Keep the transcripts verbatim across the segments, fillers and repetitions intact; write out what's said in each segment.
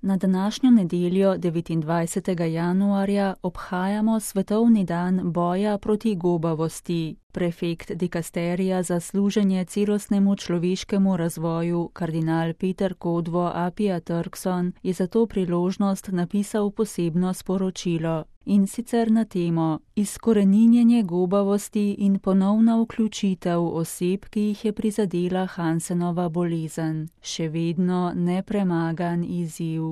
Na današnjo nedeljo, devetindvajsetega januarja, obhajamo svetovni dan boja proti gobavosti. Prefekt dikasterija za služenje celostnemu človeškemu razvoju, kardinal Peter Kodvo Apia Turkson, je za to priložnost napisal posebno sporočilo. In sicer na temo izkoreninjenje gobavosti in ponovna vključitev oseb, ki jih je prizadela Hansenova bolezen. Še vedno nepremagan izziv.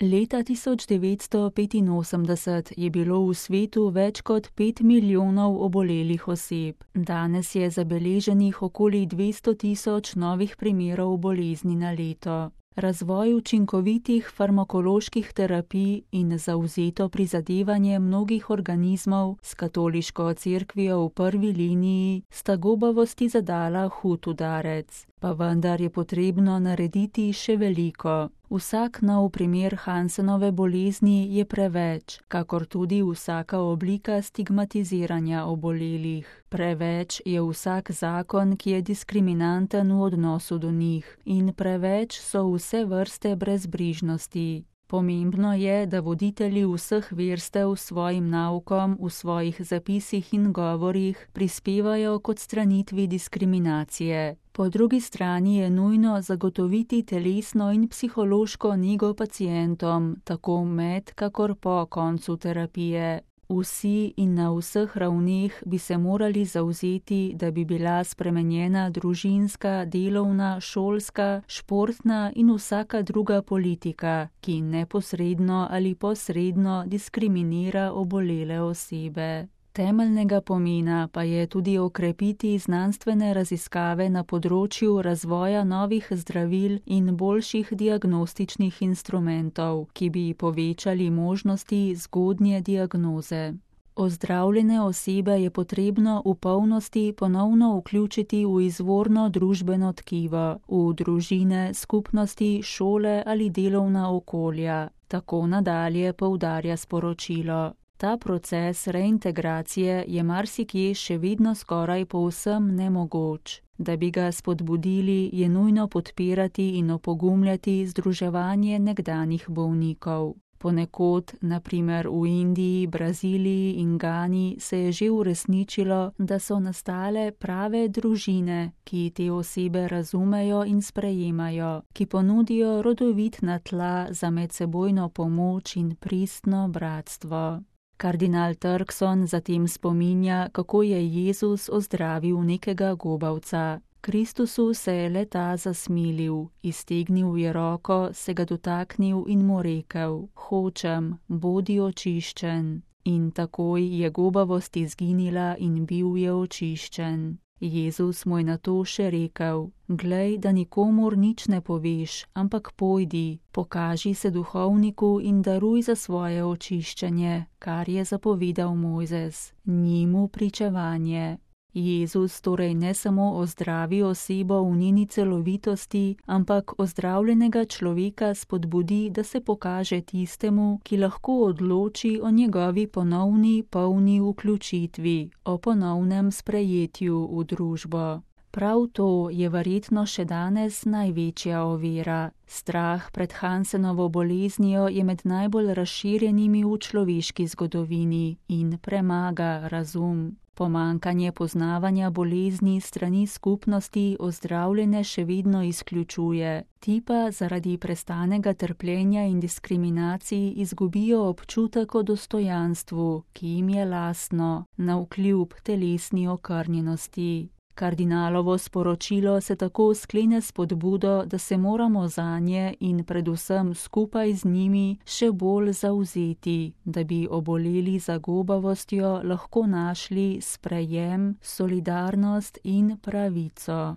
Leta tisoč devetsto petinosemdeset je bilo v svetu več kot pet milijonov obolelih oseb. Danes je zabeleženih okoli dvesto tisoč novih primerov bolezni na leto. Razvoj učinkovitih farmakoloških terapij in zavzeto prizadevanje mnogih organizmov s katoliško cerkvijo v prvi liniji sta gobavosti zadala hud udarec. Pa vendar je potrebno narediti še veliko. Vsak nov primer Hansenove bolezni je preveč, kakor tudi vsaka oblika stigmatiziranja obolelih. Preveč je vsak zakon, ki je diskriminanten v odnosu do njih, in preveč so vse vrste brezbrižnosti. Pomembno je, da voditelji vseh verstev s svojim naukom v svojih zapisih in govorih prispevajo k odstranitvi diskriminacije. Po drugi strani je nujno zagotoviti telesno in psihološko nego pacientom, tako med kakor po koncu terapije. Vsi in na vseh ravneh bi se morali zavzeti, da bi bila spremenjena družinska, delovna, šolska, športna in vsaka druga politika, ki neposredno ali posredno diskriminira obolele osebe. Temeljnega pomena pa je tudi okrepiti znanstvene raziskave na področju razvoja novih zdravil in boljših diagnostičnih instrumentov, ki bi povečali možnosti zgodnje diagnoze. Ozdravljene osebe je potrebno v polnosti ponovno vključiti v izvorno družbeno tkivo, v družine, skupnosti, šole ali delovna okolja. Tako nadalje poudarja sporočilo. Ta proces reintegracije je marsikje še vedno skoraj povsem nemogoč. Da bi ga spodbudili, je nujno podpirati in opogumljati združevanje nekdanjih bolnikov. Ponekod, na primer v Indiji, Braziliji in Gani, se je že uresničilo, da so nastale prave družine, ki te osebe razumejo in sprejemajo, ki ponudijo rodovitna tla za medsebojno pomoč in pristno bratstvo. Kardinal Turkson zatem spominja, kako je Jezus ozdravil nekega gobavca. Kristusu se je le-ta zasmilil, iztegnil je roko, se ga dotaknil in mu rekel: "Hočem, bodi očiščen." In takoj je gobavost izginila in bil je očiščen. Jezus mu je nato še rekel: "Glej, da nikomur nič ne poveš, ampak pojdi, pokaži se duhovniku in daruj za svoje očiščenje, kar je zapovedal Mojzes, njemu pričevanje." Jezus torej ne samo ozdravi osebo v njeni celovitosti, ampak ozdravljenega človeka spodbudi, da se pokaže tistemu, ki lahko odloči o njegovi ponovni polni vključitvi, o ponovnem sprejetju v družbo. Prav to je verjetno še danes največja ovira. Strah pred Hansenovo boleznijo je med najbolj razširjenimi v človeški zgodovini in premaga razum. Pomanjkanje poznavanja bolezni strani skupnosti ozdravljene še vedno izključuje. Ti pa zaradi prestanega trpljenja in diskriminacij izgubijo občutek o dostojanstvu, ki jim je lastno, navkljub telesni okrnjenosti. Kardinalovo sporočilo se tako sklene s spodbudo, da se moramo zanje in predvsem skupaj z njimi še bolj zavzeti, da bi oboleli za gobavostjo lahko našli sprejem, solidarnost in pravico.